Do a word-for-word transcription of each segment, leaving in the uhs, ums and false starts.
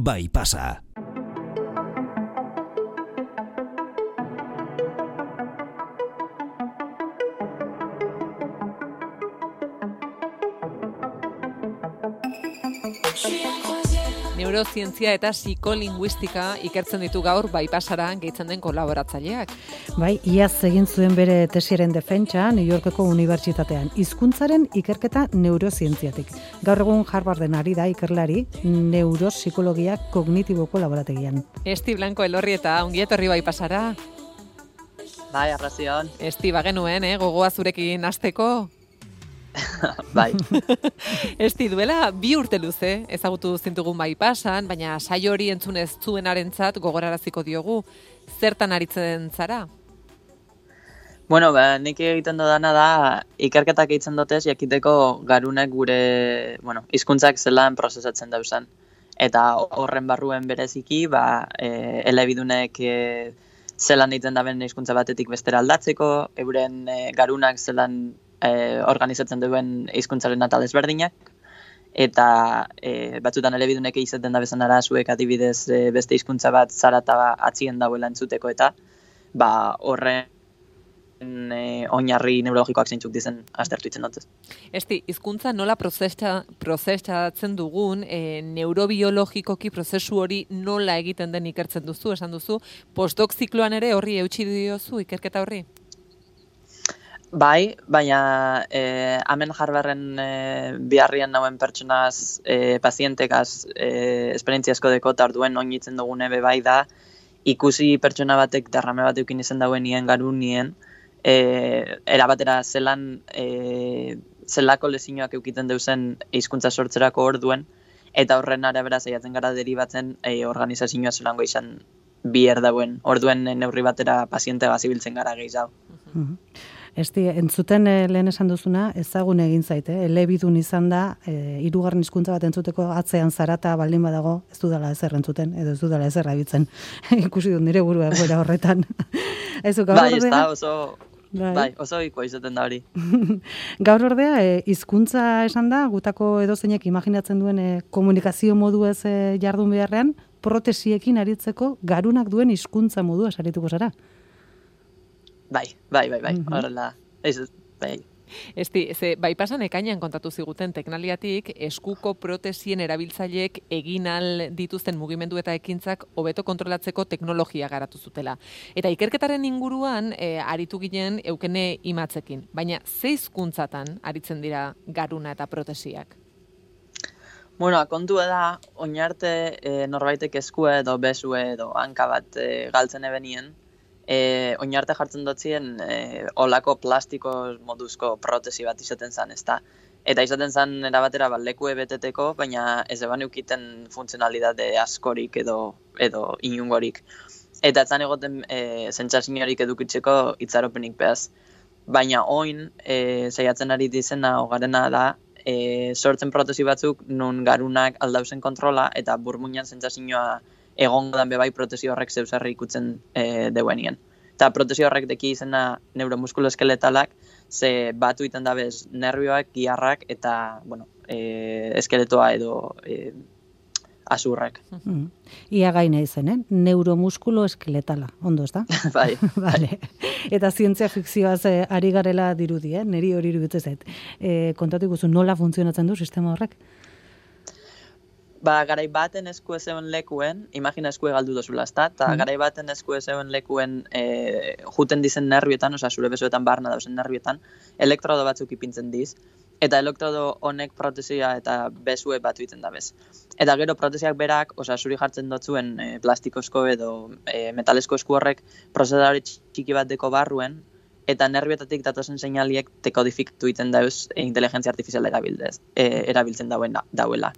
bai pasa. Neurozientzia eta psikolinguistika ikertzen ditu gaur bypassara gehitzen den kolaboratzaileak. Bai, iaz egin zuen bere tesiaren defentsa New Yorkeko unibertsitatean, hizkuntzaren ikerketa neurozientziatik. Gaur egun Harvarden ari da ikerlari neuropsikologia kognitiboko laborategian. Esti Blanco Elorri eta ongi etorri bypassara. Bai, arrazion. Esti bagenuen, eh, gogoa zurekin hasteko. Bai. Esti duela bi urte luze ezagutu zintugun bypassan, baina saio hori entzun ez zuenarentzat gogoraraziko diogu. Zertan aritzen zara? Bueno, ba, nik egiten dudana da ikerketak egiten dutez jakiteko garunek gure, bueno, hizkuntzak zelan prozesatzen dauzan. Eta horren barruen bereziki, ba, e, elebidunek e, zelan egiten daben hizkuntza batetik bestera aldatzeko, euren e, garunak zelan E, organizatzen duen hizkuntzaren atal ezberdinak, eta e, batzutan elebidunek izaten da bezan arazuek adibidez e, beste hizkuntza bat zarata atzien dauela entzuteko, eta ba, horren e, oinarri neurologikoak zeintzuk dizen aztertu itzen dut. Esti, hizkuntza nola prozesa, prozesatzen dugun, e, neurobiologikoki prozesu hori nola egiten den ikertzen duzu, esan duzu, postdoc zikloan ere horri eutsi diozu ikerketa horri? Bai, baina eh, hemen Harvarden eh, biharrian nauen pertsonaz, eh, pazientekaz, eh, esperientziasko dekota orduen oinitzen dugune be bai da, ikusi pertsona batek darrame bat eukin izan dauen nien garu nien, eh, erabatera zelan, eh, zelako lezinoak eukiten deuzen hizkuntza sortzerako orduen, eta horren arabera saiatzen gara deribatzen eh, organizazioa zelango izan biher dauen, orduen neurri batera paziente gazibiltzen gara gehiago. Mm-hmm. Esti, entzuten eh, lehen esan duzuna, ezagun egin zaite, elebidun izan da, eh, hirugarren hizkuntza bat entzuteko atzean zarata baldin badago, ez dudala ezer entzuten, edo ez dudala ezer abitzen. Ikusi dut nire burua egoera horretan. Ezu, bai, ez da, oso, bai. bai, oso ikoa izaten da hori. Gaur ordea, eh, hizkuntza esan da, gutako edozeinek imaginatzen duen eh, komunikazio modu ez eh, jardun beharrean, protesiekin aritzeko garunak duen hizkuntza modu esarituko zara. Bai, bai, bai, bai, mm-hmm. horrela, ez, bai. Esti, ze, bypassan ekainan kontatu ziguten teknaliatik, eskuko protesien erabiltzaileek egin al dituzten mugimendu eta ekintzak hobeto kontrolatzeko teknologia garatu zutela. Eta ikerketaren inguruan, e, aritu ginen eukene imatzekin, baina ze hizkuntzatan aritzen dira garuna eta protesiak? Bueno, kontua da, oinarte e, norbaitek eskue edo besue edo hanka bat e, galtzen ebenien, E, oinarte jartzen dotzien e, olako plastiko moduzko protesi bat izaten zan, ezta? Eta izaten zan erabatera bat lekue beteteko, baina ez eban eukiten funtzionalidade askorik edo, edo inungorik. Eta etzan egoten e, zentsaziorik edukitzeko itzaropenik behaz. Baina oin, e, saiatzen ari dizena ogarena da, e, sortzen protesi batzuk nun garunak aldauzen kontrola eta burmuinan zentsazioa egongo dan bebai protesi horrek zeusarri ikutzen e, deuenien. Eta protesi horrek deki izena neuromuskuloeskeletalak, ze batu iten dabez nervioak, giharrak eta bueno, e, eskeletoa edo e, azurrak. Mm. Ia gaina izen, eh? Neuromuskuloeskeletala, ondo ez da? Bai. Vale. Eta zientzia fikzioaz eh, ari garela dirudi, eh? Neri hori iruditzen zait. E, kontatu ikuzu nola funtzionatzen du sistema horrek? Ba, garai baten esku ezeuen lekuen, imagina esku galdu dozula, ezta? Ta mm. garai baten esku ezeuen lekuen e, juten dizen nervioetan, osea, zure besoetan barna dauzen nervioetan, elektrodo batzuk ipintzen diz, eta elektrodo honek protesia eta besue batu iten dabez. Eta gero protesiak berak, osea, zuri jartzen dotzuen e, plastikozko edo e, metalesko esku horrek prozesadore txiki bat deko barruen, eta nervioetatik datozen seinaliek dekodifikatu iten dauz e, inteligentzia artifiziala erabildez, e, erabiltzen dauen, dauela.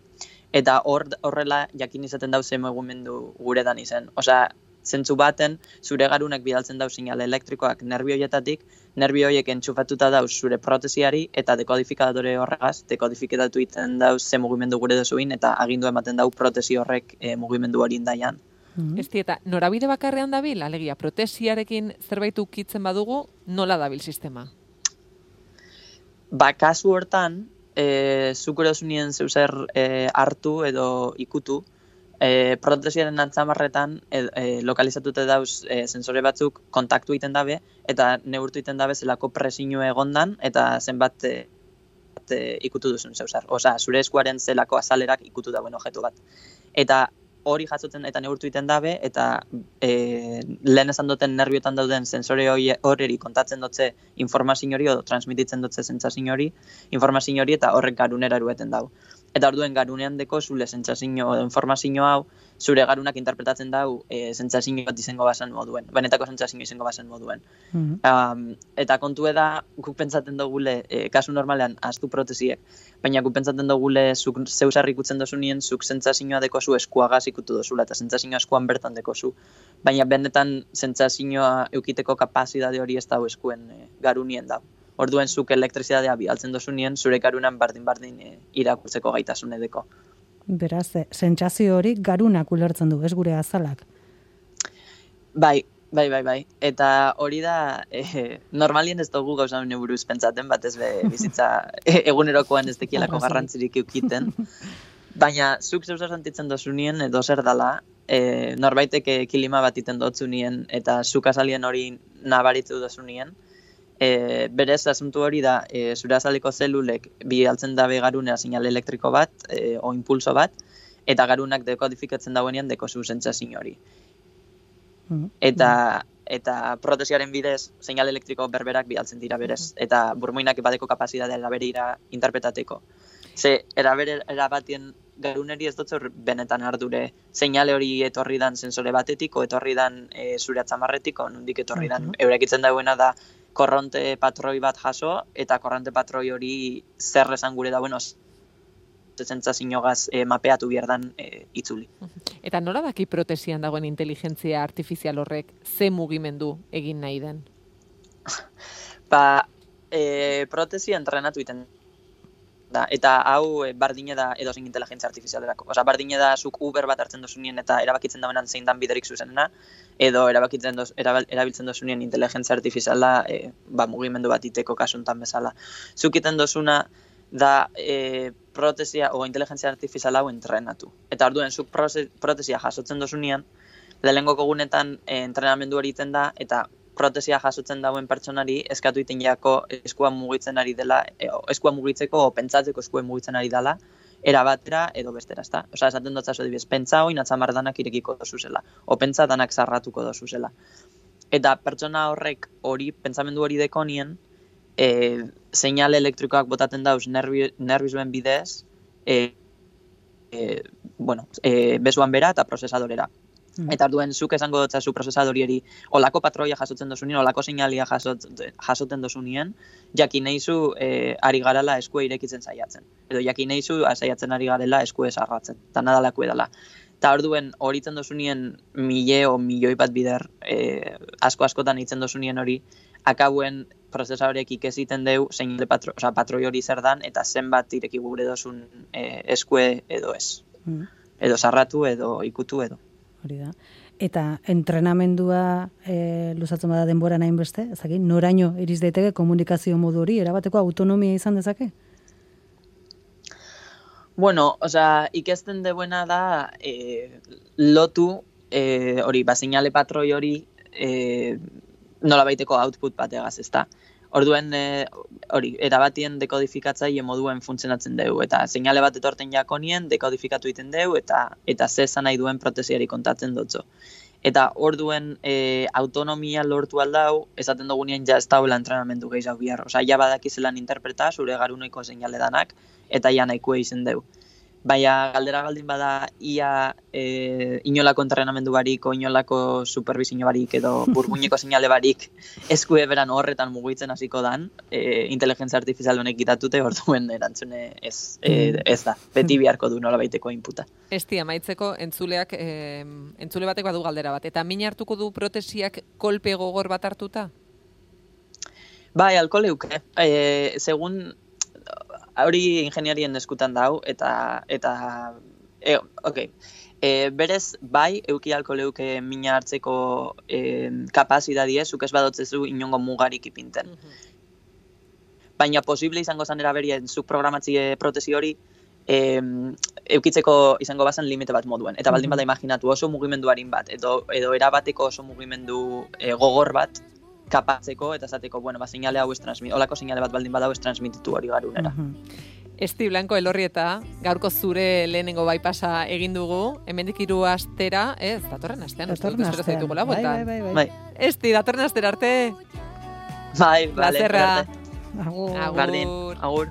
Eta hor, horrela jakin izaten dauze mugimendu guredan izen. Osea, zentzu baten, zure garunak bidaltzen dauz seinale elektrikoak nerbioietatik, nerbioiek entxufatuta dauz zure protesiari eta dekodifikadore horregaz, dekodifikatu iten dauz ze mugimendu gure dozuin eta agindu ematen dau protesi horrek e, mugimendu hori indaian. Mm-hmm. Esti, eta norabide bakarrean dabil, alegia, protesiarekin zerbait ukitzen badugu, nola dabil sistema? Ba, kasu hortan, E, zuk erozunien zeuzer e, hartu edo ikutu, e, protesiaren antzamarretan e, e, lokalizatute dauz e, sensore batzuk kontaktu egiten dabe, eta neurtu egiten dabe zelako presio egondan, eta zenbat e, e, ikutu duzun zeusar. Osa, zure eskuaren zelako azalerak ikutu dauen objektu bat. Eta hori jasotzen eta neurtu egiten dabe, eta e, lehen esan duten nerbiotan dauden sensore horreri kontatzen dutze informazio hori, edo transmititzen dutze sentsazio hori, informazio hori, eta horrek garunera erueten dau. Eta orduen garunean deko zure sentsazio edo informazio hau, zure garunak interpretatzen dau e, sentsazio bat izango bazen moduen, benetako sentsazio izango bazen moduen. Mm -hmm. um, eta kontu da, guk pentsatzen dugule, e, kasu normalean, ahaztu protesiek, baina guk pentsatzen dugule, zuk zeusarri ikutzen dozu nien, zuk sentsazioa dekozu eskuagaz ikutu dozula, eta sentsazioa eskuan bertan dekozu. Baina benetan sentsazioa eukiteko kapazidade hori ez dau eskuen e, garunien dau. Orduen zuk elektrizitatea bialtzen dozu nien, zure garunan bardin-bardin e, irakurtzeko gaitasun edeko. Beraz, sentsazio hori garunak ulertzen du, ez gure azalak? Bai, bai, bai, bai. Eta hori da, e, normalien ez dugu gauza hone buruz pentsaten, batez be bizitza e, egunerokoan ez dekielako garrantzirik eukiten. Baina, zuk zeusa sentitzen dozu nien, edo zer dala, e, norbaiteke kilima bat iten dotzu nien, eta zuk azalien hori nabaritzu dozu nien, E, berez, asuntu hori da, e, zure azaliko zelulek bialtzen dabe garunea sinale elektriko bat, e, o impulso bat, eta garunak dekodifikatzen dauenean dekozu sentsazio hori. Eta, eta protesiaren bidez, seinale elektriko berberak bialtzen dira berez, eta burmuinak badeko kapazitatea eraberira interpretateko. Ze, erabere erabatien garuneri ez dut benetan ardure seinale hori etorri dan sensore batetiko, etorri dan e, zure atzamarretiko, nondik etorri dan, eurekitzen dauena da, korronte patroi bat jaso, eta korronte patroi hori zer esan gure dauen oz, sentsazioagaz e, mapeatu bierdan e, itzuli. Eta nola daki protesian dagoen inteligentzia artifizial horrek ze mugimendu egin nahi den? Ba, e, protesia entrenatu iten da, eta hau e, bardine da edozein inteligentzia artifizialerako. Osa, bardine da zuk Uber bat hartzen dozunien eta erabakitzen dauenan zein dan biderik zuzenena, edo erabakitzen doz, erabiltzen dozunien inteligentzia artifiziala e, ba, mugimendu bat iteko kasuntan bezala. Zuk iten dozuna da e, protesia o inteligentzia artifiziala hau entrenatu. Eta orduen zuk protesia jasotzen dozunien, lehenengo gunetan e, entrenamendu hori iten da, eta protesia jasotzen dauen pertsonari eskatu iten jako eskua mugitzen ari dela, e, eskua mugitzeko o pentsatzeko eskua mugitzen ari dela, era batera edo bestera, ezta? Osea, esaten dut zazu adibidez, pentsa hori natzamar danak irekiko dozu zela, o pentsa danak zarratuko dozu zela. Eta pertsona horrek hori, pentsamendu hori dekonien, e, seinale elektrikoak botaten dauz nervi, nervizuen bidez, e, e, bueno, e, bezuan bera eta prozesadorera. Eta arduen zuk esango dutzazu prozesadorieri olako patroia jasotzen dozunien, olako seinalia jasot, jasoten dozunien, jakin eizu e, ari garala eskue irekitzen saiatzen. Edo jakin eizu saiatzen ari garela eskue sarratzen, eta nadalako edala. Eta orduen horitzen dozunien mile o milioi bat bider, e, asko-askotan hitzen dozunien hori, akabuen prozesadorek ikesiten deu seinale patro, oza, patroi hori zer dan, eta zenbat ireki gure dozun e, eskue edo ez. Mm. Edo sarratu, edo ikutu, edo. Hori da. Eta entrenamendua e, luzatzen bada denbora nahin beste, ezaki, noraino iriz daiteke komunikazio modu hori, erabateko autonomia izan dezake? Bueno, osea, ikesten deuena da e, lotu e, hori, ba, seinale patroi hori e, nola baiteko output bategaz, ezta? Orduen, e, hori, erabatien dekodifikatzaile moduen funtzionatzen dugu, eta seinale bat etorten jakonien, dekodifikatu egiten dugu, eta eta ze esan nahi duen protesiari kontatzen dutzo. Eta orduen e, autonomia lortu aldau, esaten dugunean ja ez dauela entrenamendu gehiago bihar. Osa, ja badakizelan interpreta, zure garunoiko seinale danak, eta ja nahikoa izen dugu. Baina galdera galdin bada ia e, inolako entrenamendu barik, o inolako supervisio barik, edo burmuineko seinale barik eskue beran horretan mugitzen hasiko dan, e, inteligentzia artifizial honek gitatute, orduen erantzune ez, e, ez da, beti biharko du nola baiteko inputa. Esti, amaitzeko entzuleak, e, entzule batek badu galdera bat, eta min hartuko du protesiak kolpe gogor bat hartuta? Bai, alko leuke. E, segun hori ingeniarien eskutan dau, eta, eta e, ok, e, berez, bai, euki alko leuke mina hartzeko e, kapazidadie, zuk ez badotzezu inongo mugarik ipinten. Uh-huh. Baina posible izango zan eraberien zuk programatzie protesi hori, e, eukitzeko izango bazan limite bat moduen. Eta baldin bada imaginatu oso mugimenduarin bat, edo, edo erabateko oso mugimendu e, gogor bat, kapatzeko eta esateko, bueno, ba, seinale hau ez transmit, olako seinale bat baldin bada hau ez transmititu hori garunera. Esti Blanco Elorrieta, gaurko zure lehenengo baipasa egin dugu, hemendik hiru astera, ez, datorren astean, datorren astean, bai, bai, bai, bai. bai. Esti, datorren astera arte. Bai, vale, Plazerra. arte. Agur. Agur. Bardin, agur.